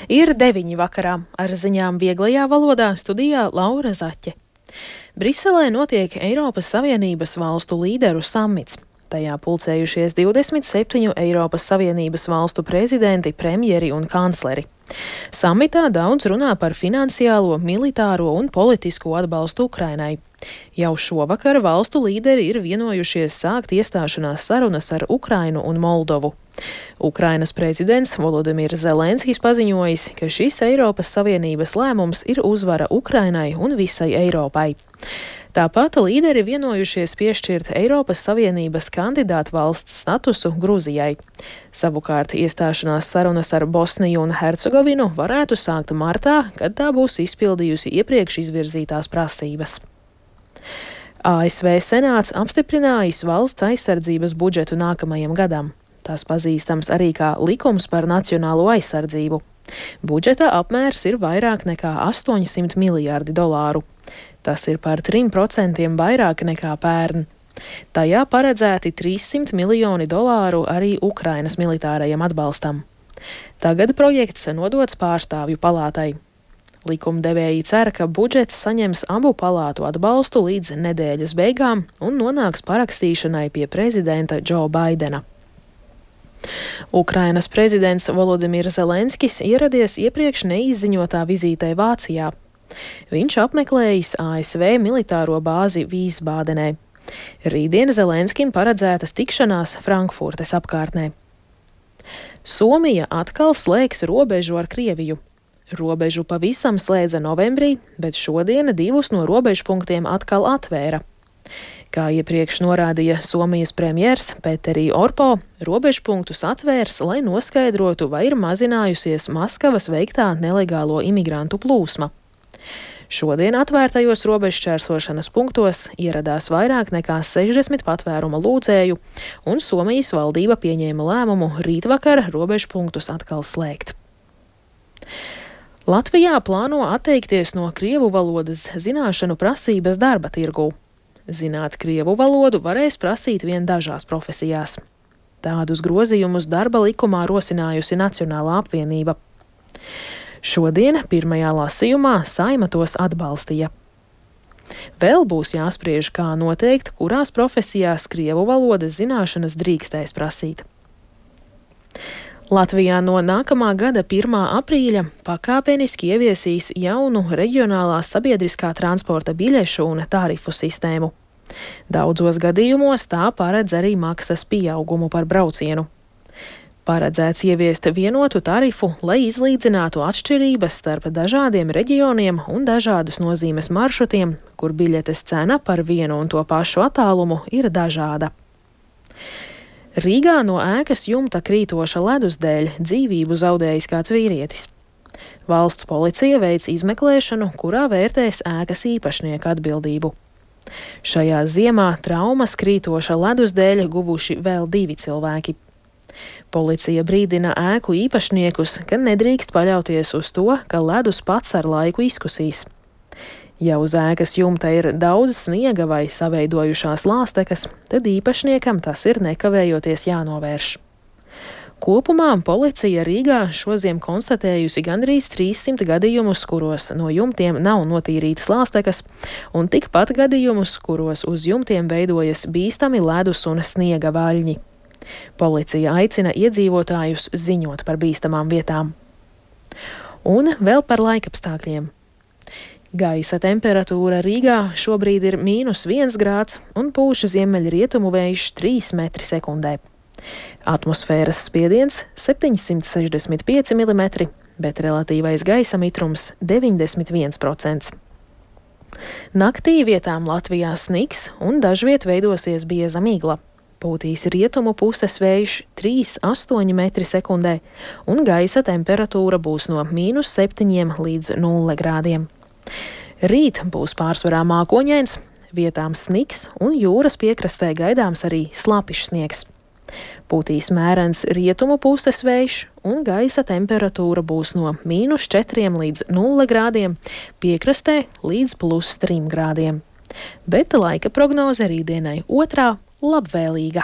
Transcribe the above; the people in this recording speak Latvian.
Ir 9 vakarā, ar ziņām vieglajā valodā studijā Laura Zaķe. Briselē notiek Eiropas Savienības valstu līderu samits. Tajā pulcējušies 27 Eiropas Savienības valstu prezidenti, premjeri un kancleri. Samitā daudz runā par finansiālo, militāro un politisko atbalstu Ukrainai. Jau šovakar valstu līderi ir vienojušies sākt iestāšanās sarunas ar Ukrainu un Moldovu. Ukrainas prezidents Volodimirs Zelenskis paziņojis, ka šis Eiropas Savienības lēmums ir uzvara Ukrainai un visai Eiropai. Tāpat līderi vienojušies piešķirt Eiropas Savienības kandidātu valsts statusu Gruzijai. Savukārt iestāšanās sarunas ar Bosniju un Hercegovinu varētu sākt martā, kad tā būs izpildījusi iepriekš izvirzītās prasības. ASV Senāts apstiprinājis valsts aizsardzības budžetu nākamajam gadam. Tas pazīstams arī kā likums par nacionālo aizsardzību. Budžeta apmērs ir vairāk nekā $800 miljārdi. Tas ir par 3% vairāk nekā pērn. Tajā paredzēti $300 miljoni arī Ukrainas militārajam atbalstam. Tagad projekts nodots pārstāvju palātai. Likumdevēji cer, ka budžets saņems abu palātu atbalstu līdz nedēļas beigām un nonāks parakstīšanai pie prezidenta Džo Baidena. Ukrainas prezidents Volodimirs Zelenskis ieradies iepriekš neizziņotā vizītē Vācijā. Viņš apmeklējis ASV militāro bāzi Vīsbādenē. Rītdien Zelenskim paredzētas tikšanās Frankfurtes apkārtnē. Somija atkal slēgs robežu ar Krieviju. Robežu pavisam slēdza novembrī, bet šodien 2 no robežpunktiem atkal atvēra. Kā iepriekš norādīja Somijas premjers Petteri Orpo, robežpunktus atvērs, lai noskaidrotu, vai ir mazinājusies Maskavas veiktā nelegālo imigrantu plūsma. Šodien atvērtajos robežšķērsošanas punktos ieradās vairāk nekā 60 patvēruma lūdzēju, un Somijas valdība pieņēma lēmumu rītvakar robežpunktus atkal slēgt. Latvijā plāno atteikties no krievu valodas zināšanu prasības darba tirgū. Zināt krievu valodu varēs prasīt vien dažās profesijās. Tādus grozījumus darba likumā rosinājusi Nacionālā apvienība. Šodien pirmajā lasījumā Saeima tos atbalstīja. Vēl būs jāspriež, kā noteikt, kurās profesijās krievu valodas zināšanas drīkstēs prasīt. Latvijā no nākamā gada 1. aprīļa pakāpeniski ieviesīs jaunu reģionālās sabiedriskā transporta biļešu un tarifu sistēmu. Daudzos gadījumos tā paredz arī maksas pieaugumu par braucienu. Paredzēts ieviest vienotu tarifu, lai izlīdzinātu atšķirības starp dažādiem reģioniem un dažādas nozīmes maršrutiem, kur biļetes cena par vienu un to pašu attālumu ir dažāda. Rīgā no ēkas jumta krītoša ledus dēļ dzīvību zaudējis kāds vīrietis. Valsts policija veic izmeklēšanu, kurā vērtēs ēkas īpašnieka atbildību. Šajā ziemā traumas krītoša ledus dēļ guvuši vēl 2 cilvēki. Policija brīdina ēku īpašniekus, ka nedrīkst paļauties uz to, ka ledus pats ar laiku izkusīs. Ja uz ēkas jumta ir daudz sniega vai saveidojušās lāstekas, tad īpašniekam tas ir nekavējoties jānovērš. Kopumā policija Rīgā šoziem konstatējusi gandrīz 300 gadījumus, kuros no jumtiem nav notīrītas lāstekas, un tikpat gadījumus, kuros uz jumtiem veidojas bīstami ledus un sniega vaļņi. Policija aicina iedzīvotājus ziņot par bīstamām vietām. Un vēl par laikapstākļiem. Gaisa temperatūra Rīgā šobrīd ir -1 grāds un pūš ziemeļrietumu vējš 3 metri sekundē. Atmosfēras spiediens 765 mm, bet relatīvais gaisa mitrums 91%. Naktī vietām Latvijā sniks un dažviet veidosies bieza migla. Pūtīs rietumu puses vējš 3,8 metri sekundē un gaisa temperatūra būs no -7 līdz 0 grādiem. Rīt būs pārsvarā mākoņains, vietām sniks un jūras piekrastē gaidāms arī slapišs sniegs. Pūtīs mērens rietumu puses vējš un gaisa temperatūra būs no -4 līdz 0 grādiem, piekrastē līdz +3 grādiem. Bet laika prognoze rītdienai otrā labvēlīga.